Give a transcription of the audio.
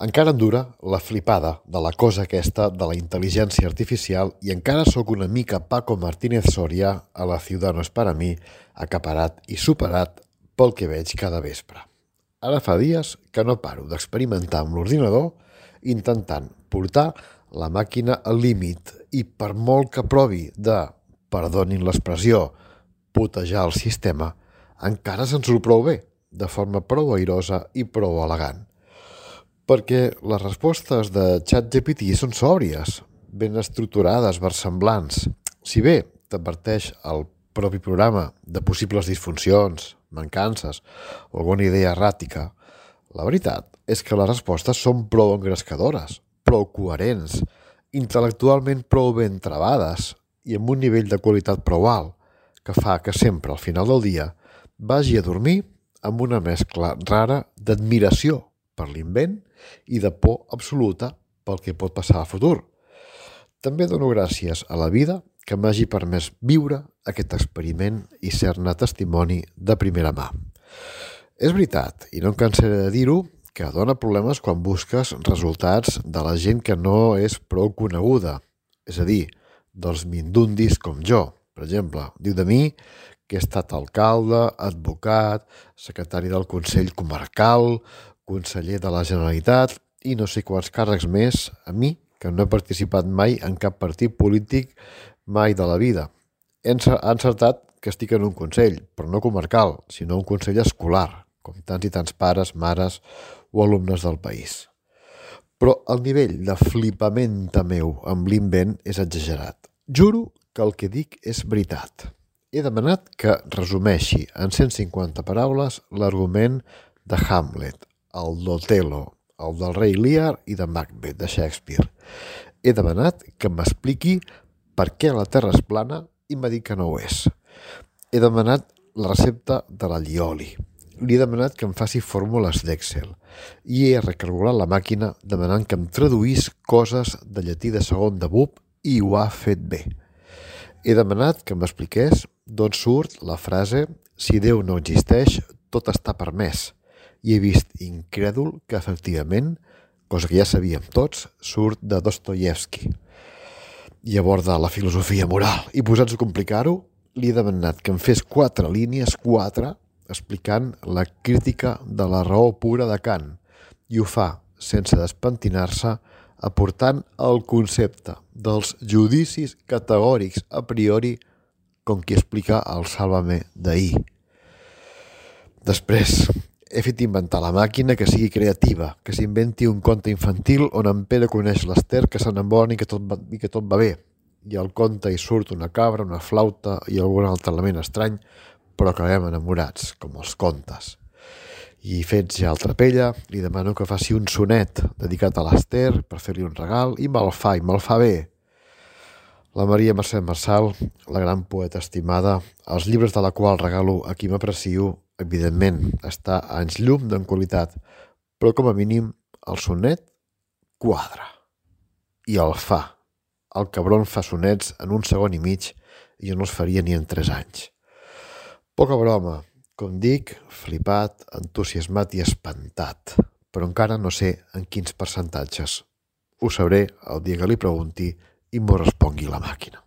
Encara em dura la flipada de la cosa aquesta de la intel·ligència artificial i encara sóc una mica Paco Martínez Soria a la Ciudad no es para mí, acaparat i superat pel que veig cada vespre. Ara fa dies que no paro d'experimentar amb l'ordinador intentant portar la màquina al límit i per molt que provi de, perdonin l'expressió, putejar el sistema, encara se'n surt prou bé, de forma prou airosa i prou elegant. Perquè les respostes de ChatGPT són sòbries, ben estructurades, versemblants. Si bé t'adverteix el propi programa de possibles disfuncions, mancances o alguna idea erràtica, la veritat és que les respostes són prou engrescadores, prou coherents, intel·lectualment prou ben travades i amb un nivell de qualitat prou alt, que fa que sempre al final del dia vagi a dormir amb una mescla rara d'admiració per l'invent i de por absoluta pel que pot passar al futur. També dono gràcies a la vida que m'hagi permès viure aquest experiment i ser-ne testimoni de primera mà. És veritat, i no em cansaré de dir-ho, que dona problemes quan busques resultats de la gent que no és prou coneguda, és a dir, dels mindundis com jo. Per exemple, diu de mi que he estat alcalde, advocat, secretari del Consell Comarcal, conseller de la Generalitat i no sé quants càrrecs més a mi, que no he participat mai en cap partit polític mai de la vida. He encertat que estic en un consell, però no comarcal, sinó un consell escolar, com tants i tants pares, mares o alumnes del país. Però el nivell de flipament meu amb l'invent és exagerat. Juro que el que dic és veritat. He demanat que resumeixi en 150 paraules l'argument de Hamlet, el d'Otelo, el del rei Lear i de Macbeth, de Shakespeare. He demanat que m'expliqui per què la Terra és plana i m'ha dit que no ho és. He demanat la recepta de l'allioli. Li he demanat que em faci fórmules d'Excel i he recargolat la màquina demanant que em traduís coses de llatí de segon de BUP i ho ha fet bé. He demanat que m'expliqués d'on surt la frase «Si Déu no existeix, tot està permès». I he vist incrèdul que, efectivament, cosa que ja sabíem tots, surt de Dostoievski i aborda la filosofia moral. I posats a complicar-ho, li he demanat que em fes 4 línies, 4, explicant la crítica de la raó pura de Kant. I ho fa, sense despentinar-se, aportant el concepte dels judicis categòrics a priori com qui explica el Sálvame d'ahir. Després, he fet inventar la màquina que sigui creativa, que s'inventi un conte infantil on en Pere coneix l'Ester, que s'enamora i que tot va bé. I al conte hi surt una cabra, una flauta i algun altre element estrany, però acabem enamorats, com els contes. I fets ja el Trapella, li demano que faci un sonet dedicat a l'Ester per fer-li un regal i me'l fa bé. La Maria Mercè Marçal, la gran poeta estimada, els llibres de la qual regalo a qui m'aprecio, evidentment, està a anys llum d'en qualitat, però com a mínim el sonet quadra. I el fa. El cabron fa sonets en 1 segon i mig i jo no els faria ni en 3 anys. Poca broma, com dic, flipat, entusiasmat i espantat, però encara no sé en quins percentatges. Ho sabré el dia que li pregunti i m'ho respongui la màquina.